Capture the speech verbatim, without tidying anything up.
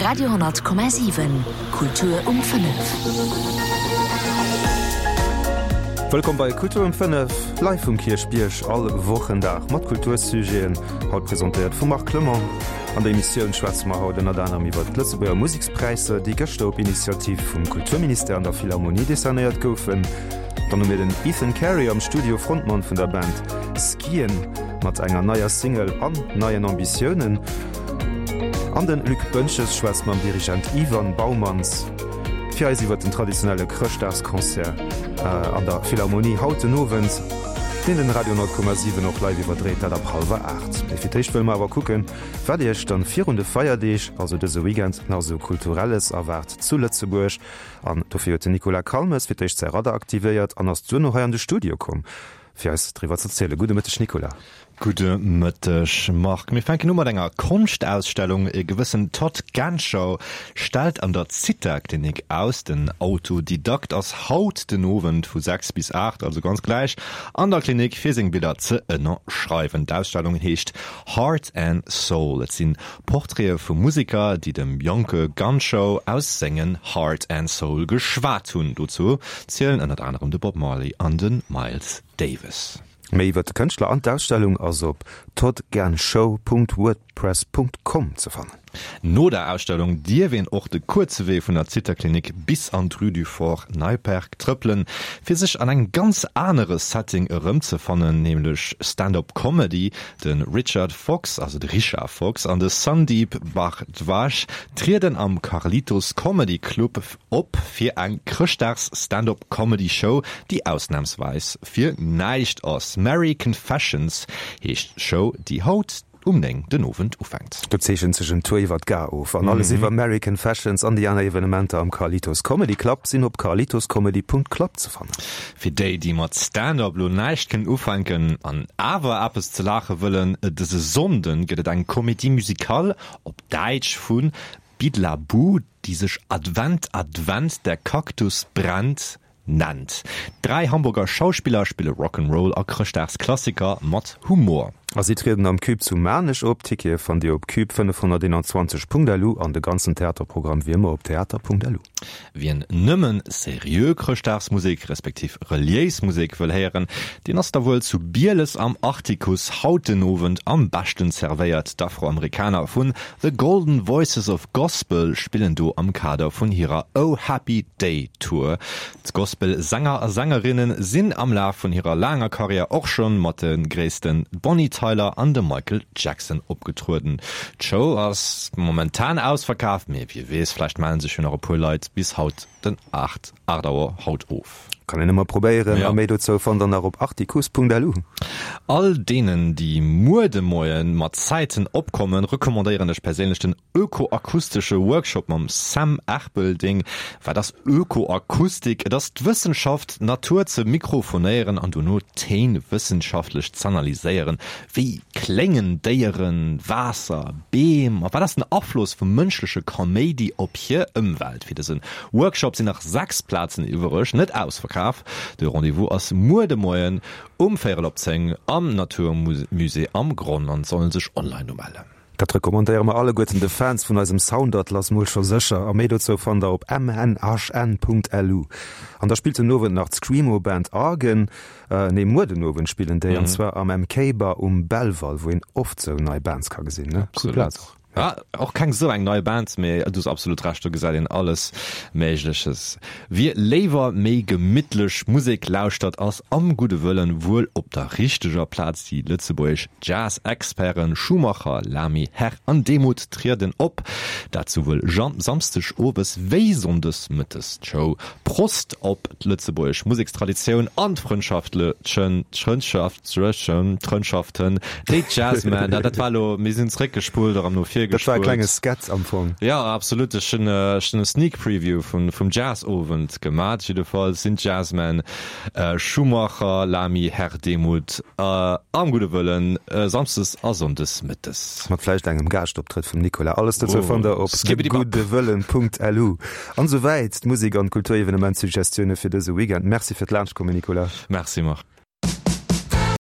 Radio honnert Komma siwen, Kultur um fënnef. Wëllkomm bei Kultur um fënnef, live vum Kierchbierg, all Wochendag mat Kultursujeten, haut presentéiert vum Marc Clement. An der Emissioun schwätze mer haut ënnert anerem iwwer d'Lëtzebuerger Musekspräisser, déi gëschter op Initiativ vum Kulturministère an der Philharmonie decernéiert goufen. Dann hu mir den Ethan Carey am Studio, Frontmann vun der Band Skiën, mat enger neier Single an neien Ambitiounen. An den Luc Boentges schwätzt mam Dirigent Ivan Baumanns fir eis iwwer den traditionelle Chrëschtdagsconcert an der Philharmonie haut den Owend, deen den Radio honnert Komma siwen och live iwwerdréit, dat ab hallwer aacht. Mee fir d'éischt wëlle mer awer kucken, wat Iech dann virun de Feierdeeg, also dëse Weekend, nach esou Kulturelles erwaart zu Lëtzebuerg. An dofir huet den Nicolas Calmes fir d'éischt säi Radar aktivéiert an ass duerno hei an de Studio komm, fir eis driwwer ze zielen. Gudde Mëtteg Nicolas. Gudde Mëtteg Marc. Mir fänken u mat enger Konschtausstellung. E gewëssen Todd Ganschow stellt an der Zitha-Klinik aus. Den Autodidakt ass haut den Owend vu sechs bis aacht, also ganz gläich, an der Klinik fir seng Biller ze ënnerschreiwen. D'Ausstellung heescht Heart and Soul. Et sinn Portraite vu Museker, déi dem jonke Ganschow aus sengen Heart and Soul geschwat hunn. Dozou zielen ënnert anerem de Bob Marley an de Miles Davis. Méi iwwer de Kënschtler an d'Ausstellung ass op toddganshow punkt wordpress punkt com ze fannen. No der Ausstellung dierf een och de kuerze Wee vun der Zitterklinik bis an d'Rue du Fort Neipperg trëppelen, fir sech an engem ganz anere Setting erëmzefannen, nämlech Stand-up Comedy. De Richard Fox, also de Richard Fox, an de Sandeep Bhardwaj trieden am Carlitos Comedy Club op fir eng Chrëschtdags Stand-up Comedy Show, déi ausnamsweis fir näischt ass. Merry Confessions heescht d'Show, déi haut um néng den Owend ufänkt. Do zeechent sech en Tour iwwer d'Gare of an alles iwwer Merry Confessions an déi aner Evenementer am Carlitos Comedy Club sinn op carlitoscomedy.club ze fannen. Fir déi, déi mat Stand-up lo näischt kënnen ufänken an awer eppes ze laache wëllen, dëse Sonnden gëtt et eng Comédie musicale op Däitsch vu Bidlaboo, déi sech Advent, Advent, der Kaktus brennt nennt. Dräi Hamburger Schauspiller spille Rock'n'Roll a Chrëschtdagsklassiker mat Humor. A si trieden am Cube zu Maarnech op. Tickete fannt Dir op cube fënnefhonnerteenanzwanzeg punkt lu an de ganzen Theaterprogramm wéi ëmmer op theater punkt lu. Wien nëmmen seriö Chrëschtdagsmusek respektiv reliéis Musek wëll héieren, deen ass da wuel zu Bieles am Artikuss haut den Owend am beschten zervéiert. D'Afroamerikaner vun The Golden Voices of Gospel spillen do am Kader vun hirer Oh Happy Day Tour. D'Gospel-Sänger a Sängerinne sinn am Laf vun hirer laanger Karriär och schonn mat de gréissten Bonnie Tyler an dem Michael Jackson opgetrueden. D'Show ass momentan ausverkaaft, mee wie weess, vläicht mellen sech jo nach e puer Leit bis haut den aacht aacht Auer haut of. Kann een ëmmer probéieren. Ja. A méi dozou fannt der nach op artikuss punkt lu. All deenen, déi muer de Moien mat Zäiten opkommen, recommandéieren ech perséinlech den ökoakustesche Workshop mam Sam Erpelding. Wat ass Ökoakustik? Et ass d'Wëssenschaft, d'Natur ze mikrofonéieren an dono d'Téin wëssenschaftlech z'analyséieren. Wéi kléngen Déieren, Waasser, Beem? A wat ass den Afloss vum mënschleche Kaméidi op hir Ëmwelt? Fir dëse Workshop sinn nach sechs Plazen iwwereg, net ausverkaf. De Rendez-vous ass muer de Moien um véierel op zéng am Naturmusée am Gronn an et soll ee sech online umellen. Dat recommandéiere mer alleguerten de Fans vun eisem Soundatlas mol scho sécher. A méi dozou fannt der op m n h n punkt l u. An da spillt den Owend nach d'Screamo-Band Argen. Nee, muer den Owend spillen déi, an zwar am M K Bar um Belval, wou een oft sou nei Bands ka gesinn, ne? Cool Plaz och. Ja, och keng sou eng nei Band, mee du hues absolut Recht, do gesäit een alles Méigleches. Wie léiwer méi gemittlech Musek lauschtert, ass am Gudde Wëllen wuel op der richteger Plaz. Déi lëtzebuergesch Jazz-Experten Schumacher, Lamy, Herr an Demuth trieden op, dat souwuel Samsdeg owes wéi Sonndes mëttes. D'Show Prost op d'lëtzebuergesch Musekstraditioun an d'Frëndschaftlechen, d'Frëndschaften, déi d'Jazzmen, dat war elo, mir sinn zréckgespullt, erëm no vir Dat war e gespullt. klenge Skat am Fong. Ja, absolut. Ech hunn ech hunn e Sneak Preview vun, vum Jazzowend gemat. Jiddefalls sinn d'Jazzmen Schumacher, Lamy, Herr Demuth am Gudde Wëllen samsdes a sonndes mëttes. Mat vläicht engem Gaaschtoptrëtt vum Nicolas. Alles dozou fannt der op Skibbidi-bap. deguddewëllen punkt L U. An esouwäit d'Musek an d'Kulturevenement-Suggestioune fir dëse Weekend. Merci fir d'Laanschtkommen, Nicolas. Merci, Marc.